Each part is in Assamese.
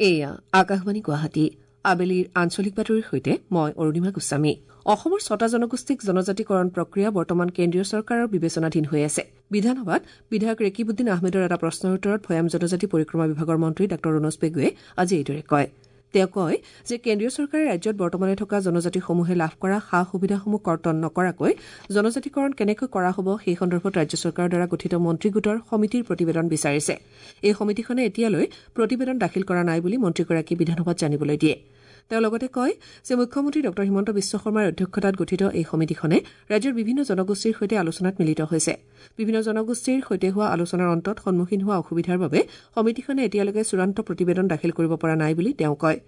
এয়া আকাশবাণী গুৱাহাটী। আবেলিৰ আঞ্চলিক বাতৰিৰ সৈতে মই অৰুণিমা গোস্বামী। অসমৰ ছটা জনগোষ্ঠীক জনজাতিকৰণ প্ৰক্ৰিয়া বৰ্তমান কেন্দ্ৰীয় চৰকাৰৰ বিবেচনাধীন হৈ আছে। বিধানসভাত বিধায়ক ৰেকিবুদ্দিন আহমেদৰ এটা প্ৰশ্নৰ উত্তৰত ভৈয়াম জনজাতি পৰিক্ৰমা বিভাগৰ মন্ত্ৰী ডাঃ ৰণোজ পেগুৱে আজি এইদৰে কয়। তেওঁ কয় যে কেন্দ্ৰীয় চৰকাৰে ৰাজ্যত বৰ্তমানে থকা জনজাতিসমূহে লাভ কৰা সা সুবিধাসমূহ কৰ্তন নকৰাকৈ জনজাতিকৰণ কেনেকৈ কৰা হ'ব সেই সন্দৰ্ভত ৰাজ্য চৰকাৰৰ দ্বাৰা গঠিত মন্ত্ৰীগোটৰ সমিতিৰ প্ৰতিবেদন বিচাৰিছে। এই সমিতিখনে এতিয়ালৈ প্ৰতিবেদন দাখিল কৰা নাই বুলি মন্ত্ৰীগৰাকীয়ে বিধানসভাত জানিবলৈ দিয়ে। তেওঁ লগতে কয় যে মুখ্যমন্ত্ৰী ডঃ হিমন্ত বিশ্ব শৰ্মাৰ অধ্যক্ষতাত গঠিত এই সমিতিখনে ৰাজ্যৰ বিভিন্ন জনগোষ্ঠীৰ সৈতে আলোচনাত মিলিত হৈছে। বিভিন্ন জনগোষ্ঠীৰ সৈতে হোৱা আলোচনাৰ অন্তত সন্মুখীন হোৱা অসুবিধাৰ বাবে সমিতিখনে এতিয়ালৈকে চূড়ান্ত প্ৰতিবেদন দাখিল কৰিব পৰা নাই বুলি তেওঁ কয়।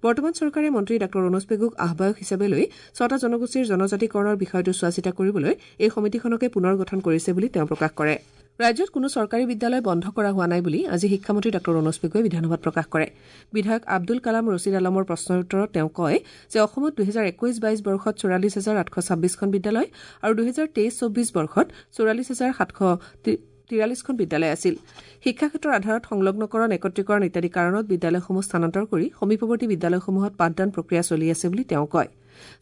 বৰ্তমান চৰকাৰে মন্ত্ৰী ডাঃ ৰণোজ পেগুক আহ্বায়ক হিচাপে লৈ ছটা জনগোষ্ঠীৰ জনজাতিকৰণৰ বিষয়টো চোৱাচিতা কৰিবলৈ এই সমিতিখনকে পুনৰ গঠন কৰিছে বুলি তেওঁ প্ৰকাশ কৰে। ৰাজ্যত কোনো চৰকাৰী বিদ্যালয় বন্ধ কৰা হোৱা নাই বুলি আজি শিক্ষামন্ত্ৰী ডাঃ ৰণোজ পেগুৱে বিধানসভাত প্ৰকাশ কৰে। বিধায়ক আব্দুল কালাম ৰছিদ আলমৰ প্ৰশ্নৰ উত্তৰত তেওঁ কয় যে অসমত ২০২১-২২ বৰ্ষত ৪৪,৮২৬খন বিদ্যালয় আৰু ২০২৩-২৪ বৰ্ষত ৪৪,৭৪৩খন বিদ্যালয় আছিল। শিক্ষাক্ষেত্ৰৰ আধাৰত সংলগ্নকৰণ, একত্ৰীকৰণ ইত্যাদি কাৰণত বিদ্যালয়সমূহ স্থানান্তৰ কৰি সমীপৱৰ্তী বিদ্যালয়সমূহত পাঠদান প্ৰক্ৰিয়া চলি আছে বুলি তেওঁ কয়।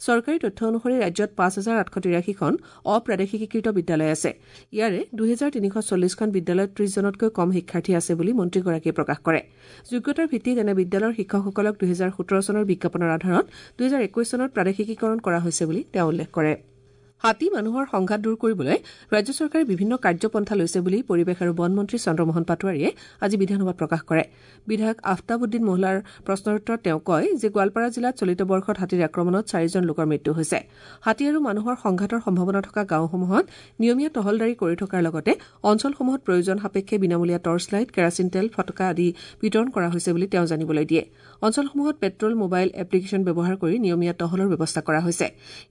চৰকাৰী তথ্য অনুসৰি ৰাজ্যত ৫,৮৮৩খন অপ্ৰাদেশিকীকৃত বিদ্যালয় আছে। ইয়াৰে ২,৩৪০খন বিদ্যালয়ত ৩০ জনতকৈ কম শিক্ষাৰ্থী আছে বুলি মন্ত্ৰীগৰাকীয়ে প্ৰকাশ কৰে। যোগ্যতাৰ ভিত্তিত এনে বিদ্যালয়ৰ শিক্ষকসকলক ২০১৭ চনৰ বিজ্ঞাপনৰ আধাৰত ২০২১ চনত প্ৰাদেশিকীকৰণ কৰা হৈছে বুলি তেওঁ উল্লেখ কৰে। হাতী মানুহৰ সংঘাত দূৰ কৰিবলৈ ৰাজ্য চৰকাৰে বিভিন্ন কাৰ্যপন্থা লৈছে বুলি পৰিৱেশ আৰু বন মন্ত্ৰী চন্দ্ৰমোহন পাটোৱাৰীয়ে আজি বিধানসভাত প্ৰকাশ কৰে। বিধায়ক আফতাবুদ্দিন মোহলাৰ প্ৰশ্নৰ উত্তৰত তেওঁ কয় যে গোৱালপাৰা জিলাত চলিত বৰ্ষত হাতীৰ আক্ৰমণত চাৰিজন লোকৰ মৃত্যু হৈছে। হাতী আৰু মানুহৰ সংঘাতৰ সম্ভাৱনা থকা গাঁওসমূহত নিয়মীয়া টহলদাৰী কৰি থকাৰ লগতে অঞ্চলসমূহত প্ৰয়োজন সাপেক্ষে বিনামূলীয়া টৰ্চ লাইট, কেৰাচিন তেল, ফটকা আদি বিতৰণ কৰা হৈছে বুলি তেওঁ জানিবলৈ দিয়ে। অঞ্চলসমূহত পেট্ৰল মোবাইল এপ্লিকেশ্যন ব্যৱহাৰ কৰি নিয়মীয়া টহলৰ ব্যৱস্থা কৰা হৈছে।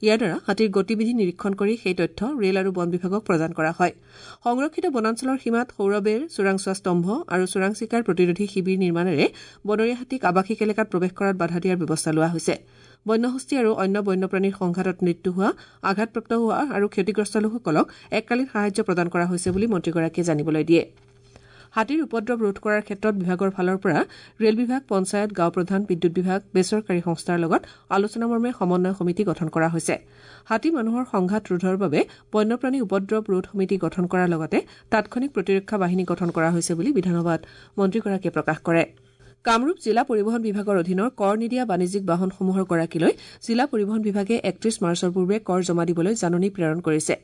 ইয়াৰ দ্বাৰা হাতীৰ গতিবিধি নিৰীক্ষণ কৰি সেই তথ্য ৰেল আৰু বন বিভাগক প্ৰদান কৰা হয়। সংৰক্ষিত বনাঞ্চলৰ সীমাত সৌৰবেৰ, চোৰাংচোৱা স্তম্ভ আৰু চোৰাং চিকাৰ প্ৰতিৰোধী শিবিৰ নিৰ্মাণেৰে বনৰীয়া হাতীক আৱাসিক এলেকাত প্ৰৱেশ কৰাত বাধা দিয়াৰ ব্যৱস্থা লোৱা হৈছে। বন্যহস্তী আৰু অন্য বন্যপ্ৰাণীৰ সংঘাতত মৃত্যু হোৱা, আঘাতপ্ৰাপ্ত হোৱা আৰু ক্ষতিগ্ৰস্ত লোকসকলক এককালীন সাহায্য প্ৰদান কৰা হৈছে বুলি মন্ত্ৰীগৰাকীয়ে জানিবলৈ দিয়ে। হাতীৰ উপদ্ৰৱ ৰোধ কৰাৰ ক্ষেত্ৰত বিভাগৰ ফালৰ পৰা ৰেল বিভাগ, পঞ্চায়ত, গাঁও প্ৰধান, বিদ্যুৎ বিভাগ, বেচৰকাৰী সংস্থাৰ লগত আলোচনামৰ্মে সমন্বয় সমিতি গঠন কৰা হৈছে। হাতী মানুহৰ সংঘাত ৰোধৰ বাবে বন্যপ্ৰাণী উপদ্ৰৱ ৰোধ সমিতি গঠন কৰাৰ লগতে তাৎক্ষণিক প্ৰতিৰক্ষা বাহিনী গঠন কৰা হৈছে বুলি বিধানসভাত মন্ত্ৰীগৰাকীয়ে প্ৰকাশ কৰে। কামৰূপ জিলা পৰিবহণ বিভাগৰ অধীনৰ কৰ নিদিয়া বাণিজ্যিক বাহনসমূহৰ গৰাকীলৈ জিলা পৰিবহণ বিভাগে ৩১ মাৰ্চৰ পূৰ্বে কৰ জমা দিবলৈ জাননী প্ৰেৰণ কৰিছে।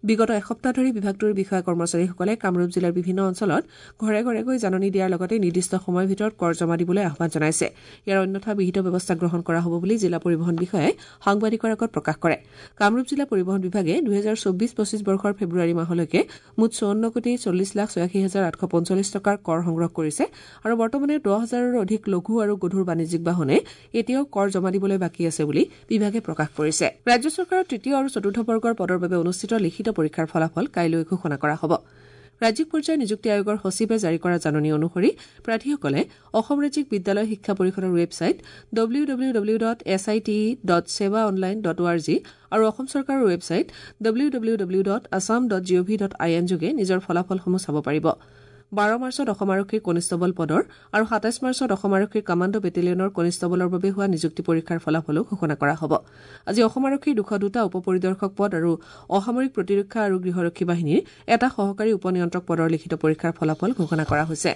বিগত এসপ্তাহ ধৰি বিভাগটোৰ বিষয়া কৰ্মচাৰীসকলে কামৰূপ জিলাৰ বিভিন্ন অঞ্চলত ঘৰে ঘৰে গৈ জাননী দিয়াৰ লগতে নিৰ্দিষ্ট সময়ৰ ভিতৰত কৰ জমা দিবলৈ আহ্বান জনাইছে। ইয়াৰ অন্যথা বিহিত ব্যৱস্থা গ্ৰহণ কৰা হ'ব বুলি জিলা পৰিবহণ বিষয়াই সাংবাদিকৰ আগত প্ৰকাশ কৰে। কামৰূপ জিলা পৰিবহণ বিভাগে ২০২৪-২৫ বৰ্ষৰ ফেব্ৰুৱাৰী মাহলৈকে মুঠ ৫৪,৪০,৮৬,৮৪৫ টকাৰ কৰ সংগ্ৰহ কৰিছে আৰু বৰ্তমানে ১০ হাজাৰৰো অধিক লঘু আৰু গধুৰ বাণিজ্যিক বাহনে এতিয়াও কৰ জমা দিবলৈ বাকী আছে বুলি বিভাগে প্ৰকাশ কৰিছে। ৰাজ্য চৰকাৰৰ তৃতীয় আৰু চতুৰ্থ বৰ্গৰ পদৰ বাবে অনুষ্ঠিত লিখিত পৰীক্ষাৰ ফলাফল কাইলৈ ঘোষণা কৰা হ'ব। ৰাজ্যিক পৰ্যায়ৰ নিযুক্তি আয়োগৰ সচিবে জাৰি কৰা জাননী অনুসৰি প্ৰাৰ্থীসকলে অসম ৰাজ্যিক বিদ্যালয় শিক্ষা পৰিষদৰ ৱেবছাইট www.site.sewaonline.org আৰু অসম চৰকাৰৰ ৱেবছাইট www.assam.gov.in যোগে নিজৰ ফলাফলসমূহ চাব পাৰিব। ১২ মাৰ্চত অসম আৰক্ষীৰ কনিষ্টবল পদৰ আৰু ২৭ মাৰ্চত অসম আৰক্ষীৰ কামাণ্ডো বেটেলিয়নৰ কনিষ্টবলৰ বাবে হোৱা নিযুক্তি পৰীক্ষাৰ ফলাফলো ঘোষণা কৰা হ'ব। আজি অসম আৰক্ষীৰ ২০২টা উপ পৰিদৰ্শক পদ আৰু অসামৰিক প্ৰতিৰক্ষা আৰু গৃহৰক্ষী বাহিনীৰ এটা সহকাৰী উপ নিয়ন্ত্ৰক পদৰ লিখিত পৰীক্ষাৰ ফলাফল ঘোষণা কৰা হৈছে।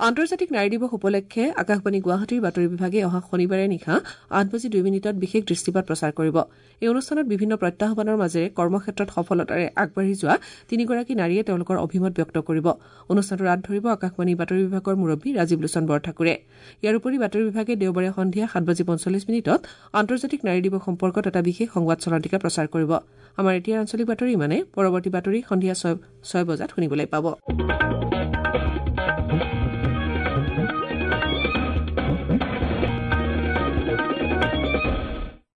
আন্তৰ্জাতিক নাৰী দিৱস উপলক্ষে আকাশবাণী গুৱাহাটীৰ বাতৰি বিভাগে অহা শনিবাৰে নিশা ৮ বাজি ২ মিনিটত বিশেষ দৃষ্টিপাত প্ৰচাৰ কৰিব। এই অনুষ্ঠানত বিভিন্ন প্ৰত্যাহ্বানৰ মাজেৰে কৰ্মক্ষেত্ৰত সফলতাৰে আগবাঢ়ি যোৱা তিনিগৰাকী নাৰীয়ে তেওঁলোকৰ অভিমত ব্যক্ত কৰিব। অনুষ্ঠানটোৰ আঁত ধৰিব আকাশবাণী বাতৰি বিভাগৰ মুৰব্বী ৰাজীৱ লোচন বৰঠাকুৰে। ইয়াৰ উপৰি বাতৰি বিভাগে দেওবাৰে সন্ধিয়া ৭ বাজি ৪৫ মিনিটত আন্তৰ্জাতিক নাৰী দিৱস সম্পৰ্কত এটা বিশেষ সংবাদ চলন্তিকা প্ৰচাৰ কৰিব। আমাৰ এতিয়াৰ আঞ্চলিক বাতৰি ইমানে। পৰৱৰ্তী বাতৰি সন্ধিয়া ৬ বজাত শুনিবলৈ পাব।